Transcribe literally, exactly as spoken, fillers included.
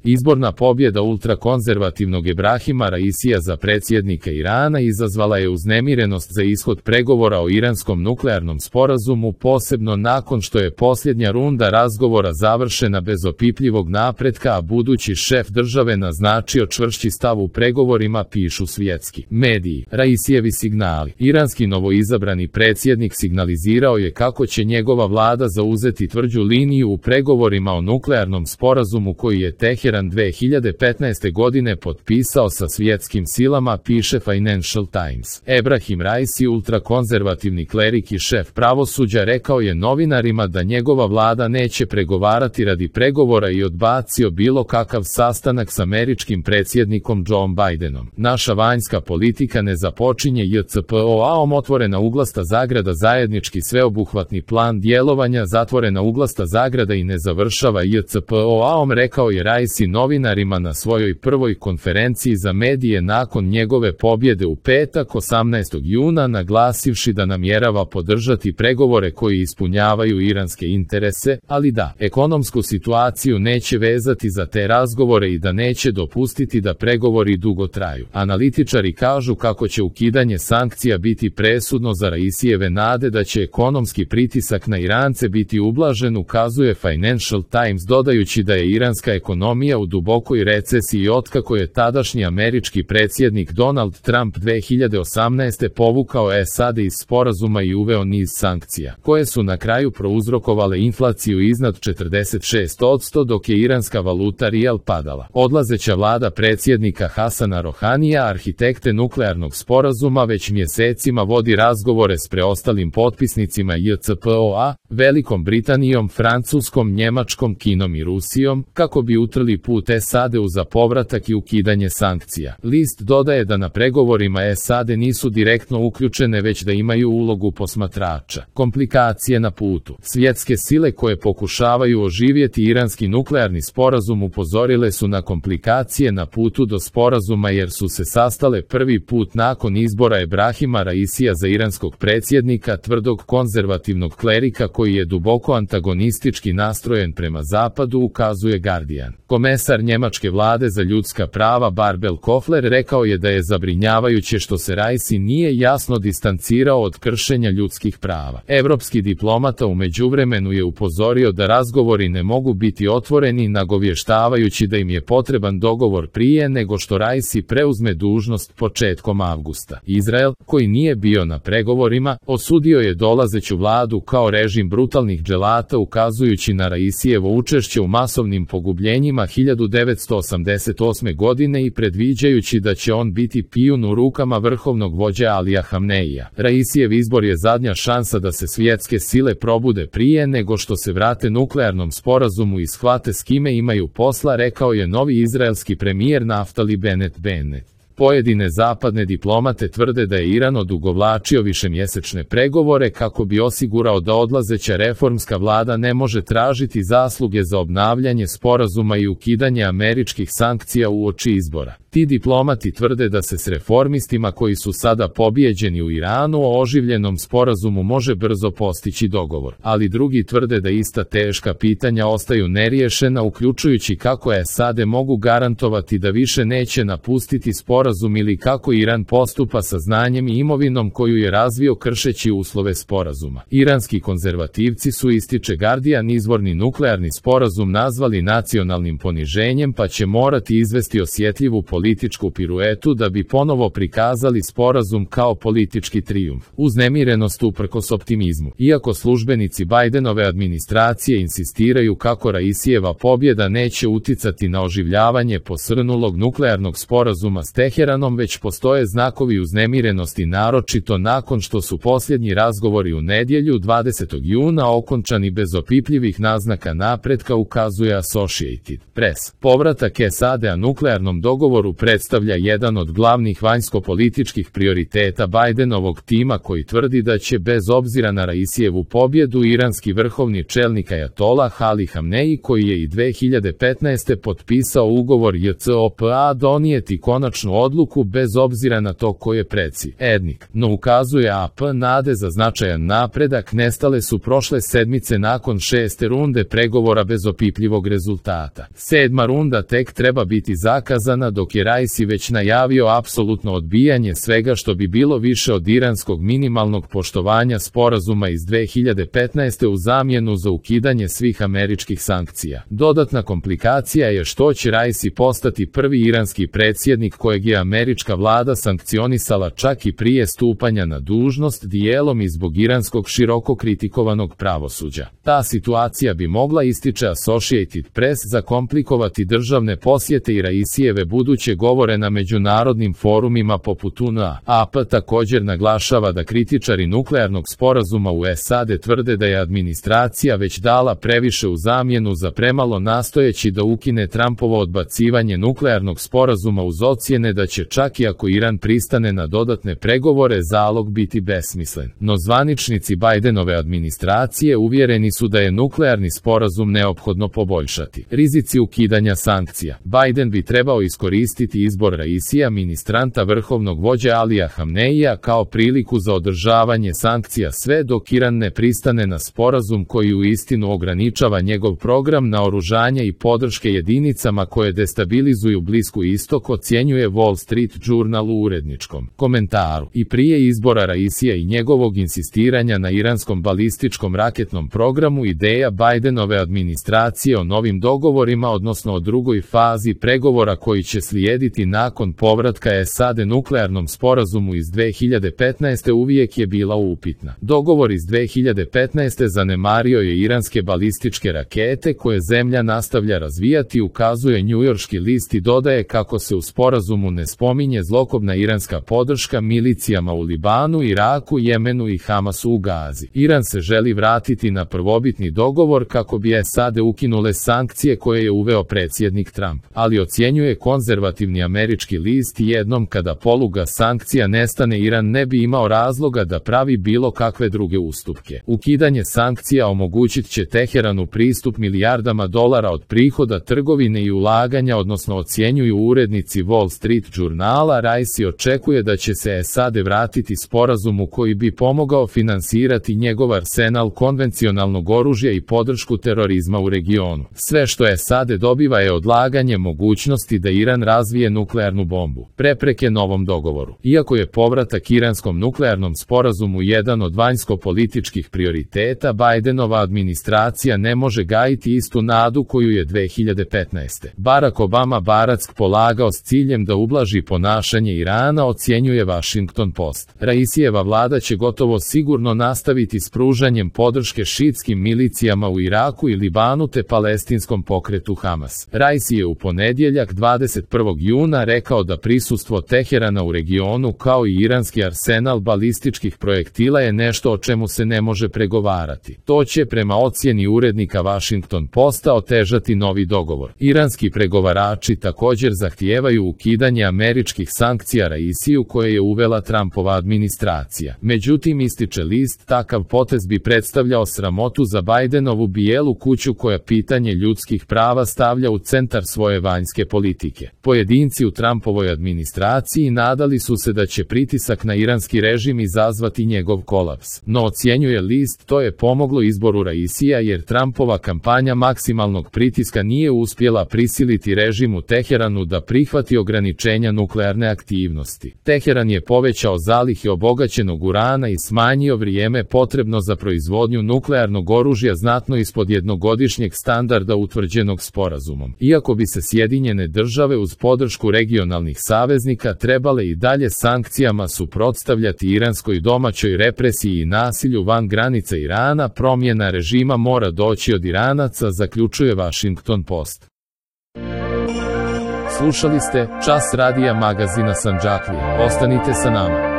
Izborna pobjeda ultrakonzervativnog Ebrahima Raisija za predsjednika Irana izazvala je uznemirenost za ishod pregovora o iranskom nuklearnom sporazumu, posebno nakon što je posljednja runda razgovora završena bez opipljivog napretka, a budući šef države naznačio čvršći stav u pregovorima, pišu svjetski mediji. Raisijevi signali. Iranski novoizabrani predsjednik signalizirao je kako će njegova vlada zauzeti tvrđu liniju u pregovorima o nuklearnom sporazumu koji je Teheran dve hiljade petnaeste. godine potpisao sa svjetskim silama, piše Financial Times. Ebrahim Raisi, ultrakonzervativni klerik i šef pravosuđa, rekao je novinarima da njegova vlada neće pregovarati radi pregovora i odbacio bilo kakav sastanak s američkim predsjednikom Joe Bidenom. Naša vanjska politika ne započinje J C P O A-om, otvorena uglasta zagrada, zajednički sveobuhvatni plan djelovanja, zatvorena uglasta zagrada, i ne završava J C P O A-om, rekao je Raisi novinarima na svojoj prvoj konferenciji za medije nakon njegove pobjede u petak osamnaestog juna, naglasivši da namjerava podržati pregovore koji ispunjavaju iranske interese, ali da ekonomsku situaciju neće vezati za te razgovore i da neće dopustiti da pregovori dugo traju. Analitičari kažu kako će ukidanje sankcija biti presudno za Raisijeve nade da će ekonomski pritisak na Irance biti ublažen, ukazuje Financial Times, dodajući da je iranska ekonomija u dubokoj recesiji otkako je tadašnji američki predsjednik Donald Trump dve hiljade osamnaeste. povukao S A D iz sporazuma i uveo niz sankcija, koje su na kraju prouzrokovale inflaciju iznad četrdeset šest posto, dok je iranska valuta rijal padala. Odlazeća vlada predsjednika Hasana Rohanija, arhitekte nuklearnog sporazuma, već mjesecima vodi razgovore s preostalim potpisnicima J C P O A, Velikom Britanijom, Francuskom, Njemačkom, Kinom i Rusijom, kako bi utrli put S A D-u za povratak i ukidanje sankcija. List dodaje da na pregovorima S A D nisu direktno uključene, već da imaju ulogu posmatrača. Komplikacije na putu. Svjetske sile koje pokušavaju oživjeti iranski nuklearni sporazum upozorile su na komplikacije na putu do sporazuma, jer su se sastale prvi put nakon izbora Ebrahima Raisija za iranskog predsjednika, tvrdog konzervativnog klerika koji je duboko antagonistički nastrojen prema zapadu, ukazuje Guardian. Komesar njemačke vlade za ljudska prava Barbel Kofler rekao je da je zabrinjavajuće što se Raisi nije jasno distancirao od kršenja ljudskih prava. Evropski diplomata u međuvremenu je upozorio da razgovori ne mogu biti otvoreni, nagovještavajući da im je potreban dogovor prije nego što Raisi preuzme dužnost početkom avgusta. Izrael, koji nije bio na pregovorima, osudio je dolazeću vladu kao režim brutalnih dželata, ukazujući na Raisijevo učešće u masovnim pogubljenjima hiljadu devetsto osamdeset osme. godine i predviđajući da će on biti pijun u rukama vrhovnog vođe Alija Hamneija. Raisijev izbor je zadnja šansa da se svjetske sile probude prije nego što se vrate nuklearnom sporazumu i shvate s kime imaju posla, rekao je novi izraelski premijer Naftali Bennett Bennett. Pojedine zapadne diplomate tvrde da je Iran odugovlačio višemjesečne pregovore kako bi osigurao da odlazeća reformska vlada ne može tražiti zasluge za obnavljanje sporazuma i ukidanje američkih sankcija uoči izbora. Ti diplomati tvrde da se s reformistima koji su sada pobijeđeni u Iranu o oživljenom sporazumu može brzo postići dogovor, ali drugi tvrde da ista teška pitanja ostaju neriješena, uključujući kako S A D mogu garantovati da više neće napustiti sporazum ili kako Iran postupa sa znanjem i imovinom koju je razvio kršeći uslove sporazuma. Iranski konzervativci su, ističe Guardian, izvorni nuklearni sporazum nazvali nacionalnim poniženjem, pa će morati izvesti osjetljivu političku piruetu da bi ponovo prikazali sporazum kao politički trijumf. Uznemirenost uprkos optimizmu. Iako službenici Bidenove administracije insistiraju kako Raisijeva pobjeda neće uticati na oživljavanje posrnulog nuklearnog sporazuma s Teheranom, već postoje znakovi uznemirenosti, naročito nakon što su posljednji razgovori u nedjelju dvadesetog juna okončani bez opipljivih naznaka napretka, ukazuje Associated Press. Povratak S A D-a nuklearnom dogovoru dogovoru predstavlja jedan od glavnih vanjsko-političkih prioriteta Bajdenovog tima koji tvrdi da će bez obzira na Raisijevu pobjedu iranski vrhovni čelnik ajatolah Ali Hamneji, koji je i dve hiljade petnaeste. potpisao ugovor J C O P A, donijeti konačnu odluku bez obzira na to ko je predsjednik. No ukazuje A P nade za značajan napredak nestale su prošle sedmice nakon šeste runde pregovora bez opipljivog rezultata. Sedma runda tek treba biti zakazana, dok je Raisi već najavio apsolutno odbijanje svega što bi bilo više od iranskog minimalnog poštovanja sporazuma iz dve hiljade petnaeste. u zamjenu za ukidanje svih američkih sankcija. Dodatna komplikacija je što će Raisi postati prvi iranski predsjednik kojeg je američka vlada sankcionisala čak i prije stupanja na dužnost, dijelom i zbog iranskog široko kritikovanog pravosuđa. Ta situacija bi mogla, ističe Associated Press, zakomplikovati državne posjete i Raisijeve buduće govore na međunarodnim forumima poput U N A. A P također naglašava da kritičari nuklearnog sporazuma u S A D tvrde da je administracija već dala previše u zamjenu za premalo, nastojeći da ukine Trumpovo odbacivanje nuklearnog sporazuma uz ocjene da će čak i ako Iran pristane na dodatne pregovore zalog biti besmislen. No zvaničnici Bajdenove administracije uvjereni su da je nuklearni sporazum neophodno poboljšati. Rizici ukidanja sankcija. Bajden bi trebao iskoristiti izbor Raisija, ministranta vrhovnog vođe Alija Hamneija, kao priliku za održavanje sankcija sve dok Iran ne pristane na sporazum koji uistinu ograničava njegov program naoružanja i podrške jedinicama koje destabilizuju Blisku istok, ocjenjuje Wall Street Journal u uredničkom komentaru. I prije izbora Raisija i njegovog insistiranja na iranskom balističkom raketnom programu, ideja Bajdenove administracije o novim dogovorima, odnosno o drugoj fazi pregovora koji će slijediti nakon povratka S A D nuklearnom sporazumu iz dve hiljade petnaeste. uvijek je bila upitna. Dogovor iz dve hiljade petnaeste. zanemario je iranske balističke rakete koje zemlja nastavlja razvijati, ukazuje njujorški list i dodaje kako se u sporazumu ne spominje zlokobna iranska podrška milicijama u Libanu, Iraku, Jemenu i Hamasu u Gazi. Iran se želi vratiti na prvobitni dogovor kako bi S A D ukinule sankcije koje je uveo predsjednik Trump, ali ocjenjuje konzervativni američki list, jednom kada poluga sankcija nestane Iran ne bi imao razloga da pravi bilo kakve druge ustupke. Ukidanje sankcija omogućit će Teheranu pristup milijardama dolara od prihoda trgovine i ulaganja, odnosno ocjenjuju urednici Wall Street Journala. Raisi očekuje da će se S A D vratiti sporazumu koji bi pomogao finansirati njegov arsenal konvencionalnog oružja i podršku terorizma u regionu. Sve što S A D dobiva je odlaganje mogućnosti da Iran razvije nuklearnu bombu. Prepreke novom dogovoru. Iako je povratak iranskom nuklearnom sporazumu jedan od vanjsko-političkih prioriteta, Bajdenova administracija ne može gajiti istu nadu koju je dve hiljade petnaeste. Barack Obama Barack polagao s ciljem da ublaži ponašanje Irana, ocjenjuje Washington Post. Raisijeva vlada će gotovo sigurno nastaviti s pružanjem podrške šiitskim milicijama u Iraku i Libanu te palestinskom pokretu Hamas. Raisi je u ponedjeljak dvadeset prvog juna rekao da prisustvo Teherana u regionu kao i iranski arsenal balističkih projektila je nešto o čemu se ne može pregovarati. To će prema ocjeni urednika Washington Posta otežati novi dogovor. Iranski pregovarači također zahtijevaju ukidanje američkih sankcija Raisiju koje je uvela Trumpova administracija. Međutim, ističe list, takav potez bi predstavljao sramotu za Bajdenovu bijelu kuću koja pitanje ljudskih prava stavlja u centar svoje vanjske politike. Pojedinci u Trumpovoj administraciji nadali su se da će pritisak na iranski režim izazvati njegov kolaps. No, ocjenjuje list, to je pomoglo izboru Raisija jer Trumpova kampanja maksimalnog pritiska nije uspjela prisiliti režim u Teheranu da prihvati ograničenja nuklearne aktivnosti. Teheran je povećao zalihe obogaćenog urana i smanjio vrijeme potrebno za proizvodnju nuklearnog oružja znatno ispod jednogodišnjeg standarda utvrđenog sporazumom. Iako bi se Sjedinjene države uz podršku regionalnih saveznika trebale i dalje sankcijama suprotstavljati iranskoj domaćoj represiji i nasilju van granica Irana, promjena režima mora doći od Iranaca, zaključuje Washington Post. Slušali ste Čas radija magazina Sandžaklije. Ostanite sa nama.